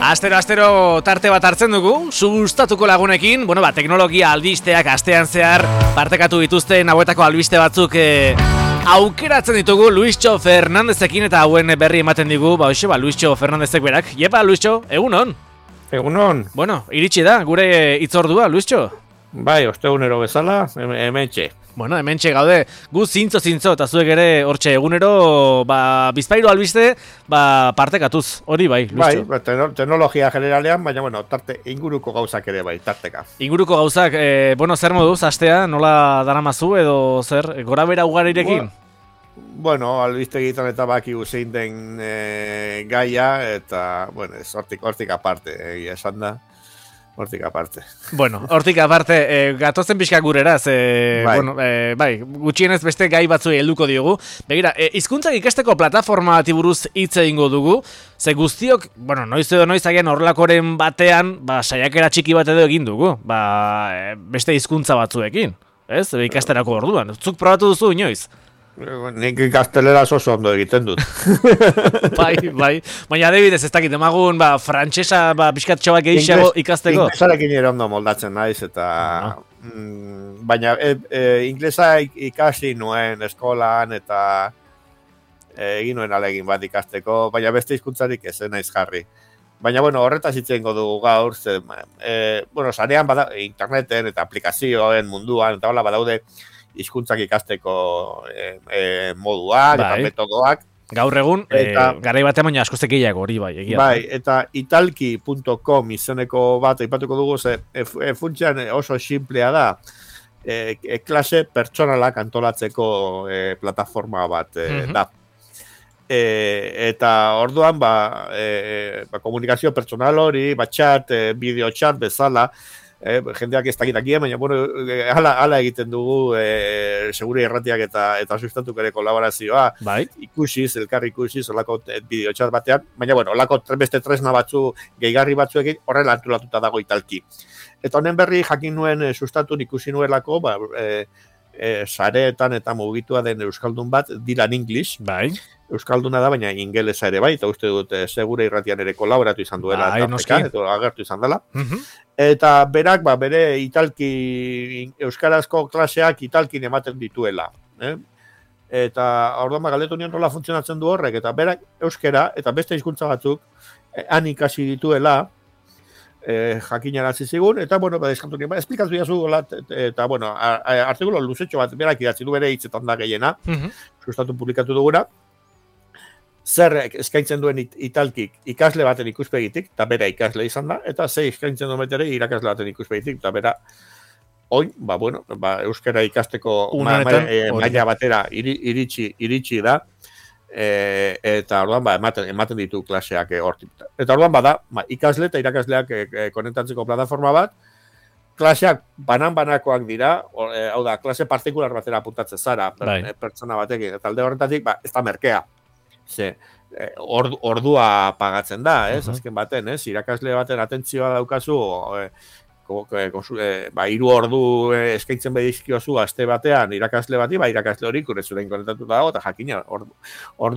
Astero tarte bat hartzen dugu, sustatuko lagunekin, teknologia albisteak astean zehar partekatu dituzten hauetako albiste batzuk aukeratzen ditugu Luistxo Fernandezekin eta hauen berri ematen digu, Luistxo Fernandezek berak. Jepa, Luistxo, egunon? Egunon. Iritsi da, gure hitzordua, Luistxo? Bai, ostegunero bezala, hementxe. Hementxe gaude, gu zintzo, eta zuek ere hortxe egunero, bizpahiru albiste, partekatuz, hori bai, Luistxo. Bai, teknologia generalean, baina, tarte inguruko gauzak ere bai, tarteka. Inguruko gauzak, zer moduz, astea, nola daramazu edo zer, gora bera ugarirekin? Albiste egiten eta baki zein den gaia, eta, hortik aparte, esan da. Hortik aparte. Hortik aparte, gatozen pixka gureraz, gutxienez beste gai batzuei helduko diogu. Begira, hizkuntzak ikasteko plataforma bati buruz hitz egingo dugu, ze guztiok, noiz edo noiz agian horrelakoren batean, saiakera txiki bat edo egin dugu, beste hizkuntza batzuekin, ez? Ikasterako orduan. Zuk probatu duzu inoiz? Nik ikastelera oso ondo egiten dut. Bai. Baina adibidez ez dakit, emagun frantsesa pixkatxo bat gehiago ikasteko. Inglesarekin ere ondo moldatzen naiz, eta... Baina inglesa ikasi nuen eskolan, eta egin nuen alegin bat ikasteko, baina beste hizkuntzarik ez naiz jarri. Baina, horretaz hitzen dugu gaur, sarean interneten eta aplikazioen munduan, eta hola badaude, hizkuntzak ikasteko moduak eta metodoak. Gaur egun, garai batean baina asko zekileago hori bai. Bai, eta italki.com izeneko bat aipatuko dugu, funtsean oso simplea da, klase pertsonalak antolatzeko plataforma bat da. Eta orduan, komunikazio pertsonal hori, chat, bideo chat bezala, jendeak ez dakitakia, baina hala egiten dugu segure erratiak eta sustatuk ere kolaborazioa, elkar ikusiz, olako bideotxat batean, baina olako beste tresna batzu, gehigarri batzuekin, horrela antolatuta dago italki. Eta honen berri jakin nuen sustatun ikusi nuelako, sareetan eta mugitua den euskaldun bat, Dylan English, euskalduna da, baina ingelesa ere bai, eta uste dut segure irratian ere kolaboratu izan duela, eta agertu izan dela. Eta berak, bere italki, euskarazko klaseak italkin ematen dituela. Eta orduan galdetu nion nola funtzionatzen du horrek, eta berak euskera, eta beste hizkuntza batzuk, han ikasi dituela, jakinarazi zigun, eta, eskatu nien, esplikatu jazu, eta, artikulo luzetxo bat, berak idatzi du bere hitzetan da gehiena, sustatu publikatu duguna, zer eskaintzen duen italkik ikasle baten ikuspegitik, eta bera ikasle izan da, eta ze eskaintzen duen betere irakasle baten ikuspegitik, eta bera, oin, euskara ikasteko maila batera iritsi da, eta orduan ematen ditu klaseak hortik. Eta orduan ikasle eta irakasleak konektatzeko plataforma bat, klaseak banan-banakoak dira, hau da, klase partikular batera apuntatzen zara, pertsona batekin, eta alde horretatik, ez da merkea. Ordua pagatzen da, azken baten, irakasle baten atentzioa daukazu, 3 ordu eskaintzen bedizkiozu aste batean irakasle bati, irakasle hori kurezurein konektatuta dago, eta jakina, ordu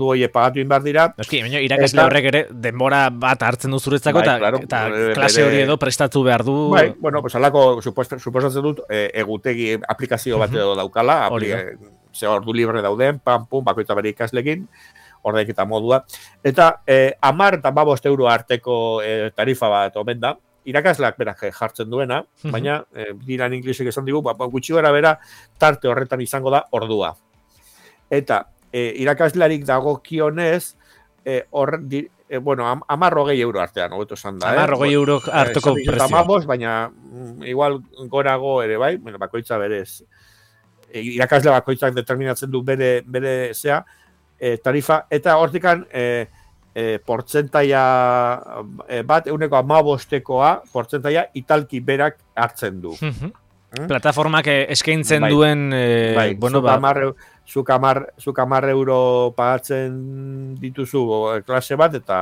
hori pagatu behar dira. Irakasle horrek ere denbora bat hartzen du zuretzako, eta klase hori edo prestatu behar du. Alako, suposatzen dut, egutegi aplikazio bat edo daukala, ordu libre dauden, bakoitza bere ikaslekin, ordaik eta modua. Eta 10 eta 15 euro arteko tarifa bat omen da, irakasleak berak jartzen duena, baina Dylan Englishek esan digu, gutxi gara bera tarte horretan izango da ordua. Eta irakaslearik dagokionez, 10-20 euro artean, hobeto esan da. 10-20 euro hartoko prezio. Baina igual gorago ere bai, bakoitza berez. Irakasle bakoitzak determinatzen du bere zea, tarifa, eta hortikan portzentaia bat, 15%koa portzentaia italki berak hartzen du. Plataformak eskaintzen duen... Zuk 10 euro pagatzen dituzu klase bat, eta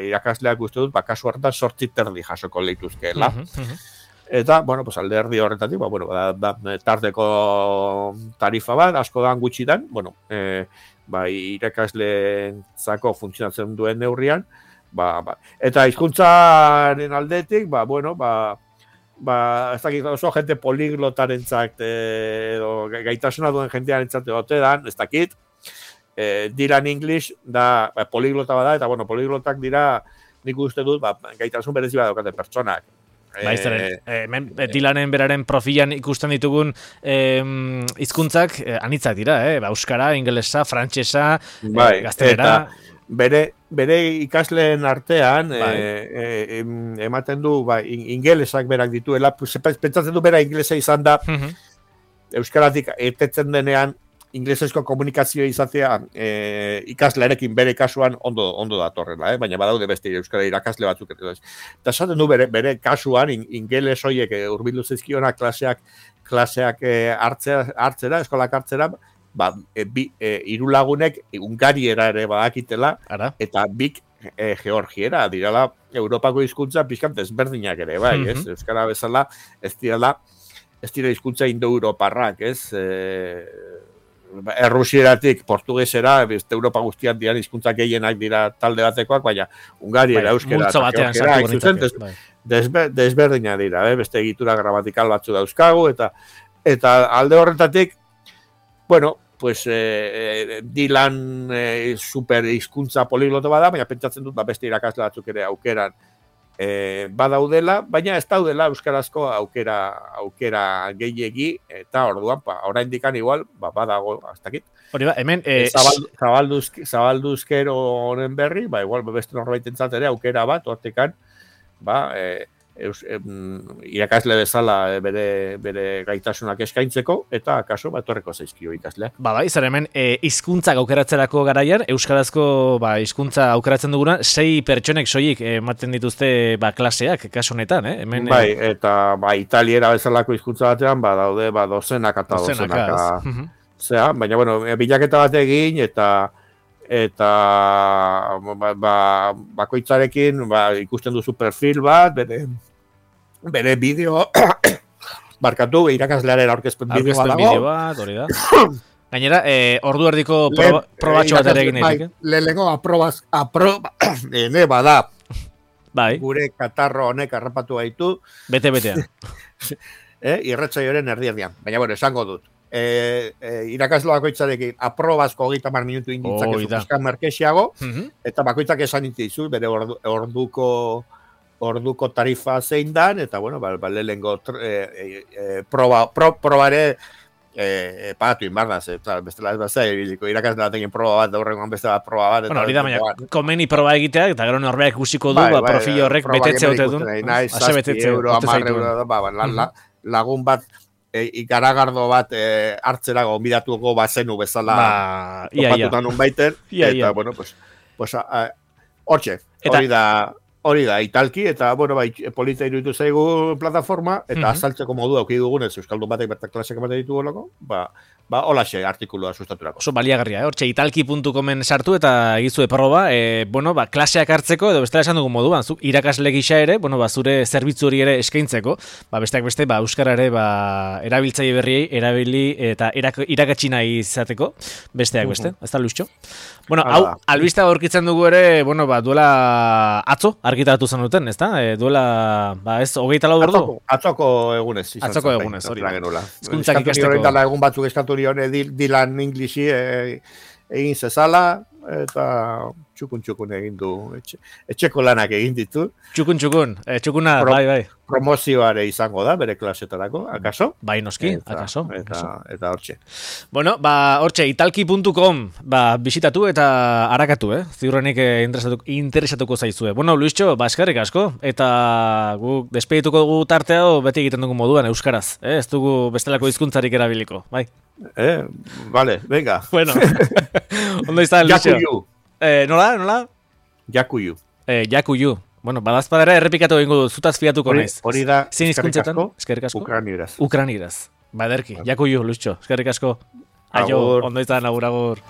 irakasleak uste dut, kasu hartan 8 terdi jasoko lehituzkeela. Eta, alde erdi horretatik, tarteko tarifa bat, asko dan gutxitan, irakasle zako funtzionatzen duen neurrian, Eta hizkuntzaren aldetik, ez dakit oso jente poliglotarentzat edo gaitasuna duen jentearentzat egote dan, ez dakit, Dylan English da poliglota bada, eta poliglotak dira, nik uste dut, gaitasun berezi bat daukate pertsonak. Dylanen beraren profilan ikusten ditugun hizkuntzak anitzak dira, euskara, ingelesa, frantsesa, gaztelera. Bere ikasleen artean ematen du ingelesak berak dituela, pentsatzen du bera ingelesa izan da, euskaratik etetzen denean inglesezko komunikazio izatea ikaslearekin bere kasuan ondo datorrela, baina badaude beste euskara irakasle batzuk. Eta esaten du bere kasuan ingeles horiek hurbildu zaizkiona klaseak hartzera, eskolak hartzera, hiru lagunek Ungariera ere badakitela, eta bik Georgiera, dirala Europako hizkuntza pixkat ezberdinak ere, ez? Euskara bezala ez dira hizkuntza indo-europarrak, ez? Errusieratik portugesera, beste Europa guztian dian hizkuntza gehienak dira talde batekoak, baina Ungariera, euskera, Georgiera, desberdina dira, beste egitura gramatikal batzu dauzkagu, eta alde horretatik, Dylan super hizkuntza poliglota bada, baina pentsatzen dut beste irakasle batzuk ere aukeran badaudela, baina ez daudela euskarazko aukera gehiegi, eta orduan, oraindikan igual, badago, aztakit. Hori hemen... Zabalduzkero honen berri, igual beste norbaitentzat ere aukera bat, hortekan, irakasle bezala bere gaitasunak eskaintzeko, eta kaso etorreko zaizkio ikasleak. Izan hemen, hizkuntzak aukeratzerako garaian, euskarazko hizkuntza aukeratzen duguna, 6 pertsonek soilik ematen dituzte klaseak, kaso honetan, hemen... Eta italiera bezalako hizkuntza batean, daude dozenaka eta dozenaka. Baina, bilaketa bat egin, eta bakoitzarekin ikusten duzu perfil bat, bere bideo barkatu, irakaslearen aurkezpen bideo bat, hori da. Gainera, ordu erdiko probatxo bat ere egin egin. Lehenengo bada. Gure katarro honek harrapatu gaitu. Bete-betean. Irratsaioaren erdian. Baina, esango dut. Irakaslo bakoitzarekin aprobazko 30 minutu inditzak ezupuzkan merkexiago, eta bakoitzak esan dizu, bere orduko tarifa zein dan, eta lehenengo probare pagatu inbardaz, bestela ez bat irakasle bat egin proba bat, daurrengoan beste bat proba bat. Hori da, baina komeni proba egitea, eta gero norbeak ikusiko du, profil horrek betetze hote duen. Ase betetze €10, lagun bat ikaragardo bat hartzera gonbidatuko bazenu bezala topatutan unbaiten, eta, hortxe, hori da, italki, eta, polita iruditu zaigu plataforma, eta azaltzeko modu auki dugunez, euskaldun batek bertak klaseak ematen ditu golako, holaxe artikulua sustaturako. Oso baliagarria, hortxe, italki.comen sartu eta egizue proba, klaseak hartzeko, edo bestela esan dugu moduan, zuk irakasle gisa ere, zure zerbitzu hori ere eskaintzeko, besteak beste, euskara ere, erabiltzaile berriei, erabili eta irakatsi nahi izateko, besteak beste, ez da luiztxo? Hau, albista aurkitzen dugu ere, duela atzo, argitaratu zen duten, ez da? Duela, ez, 24 ordu? Atzoko egunez. Atzoko egunez, hori. Hizkuntzak ikasteko. Egun batzuk eskatu dione Dylan Englishi egin zezala, eta txukun egin du, etxeko lanak egin ditu. Txukuna, bai. Promozioare izango da, bere klasetarako, akaso? Bai, noski, akaso. Eta hortxe. Hortxe, italki.com bisitatu eta harakatu, ziurrenik interesatuko zaizue. Luiztxo, eskerrik asko, eta guk despedituko dugu tartea beti egiten dugu moduan, euskaraz. Ez dugu bestelako hizkuntzarik erabiliko, bai? Vale, venga. Ondo izan, Luiztxo. Jakuyu. Nola? Jakuyu. Jakuyu. Badazpadera errepikatu egingo dut, zutaz fiatuko naiz. Hori da, eskerrik asko. Ukranieraz. Baderki, Jakuyu, Luiztxo, eskerrik asko. Aio, ondo izan, agur.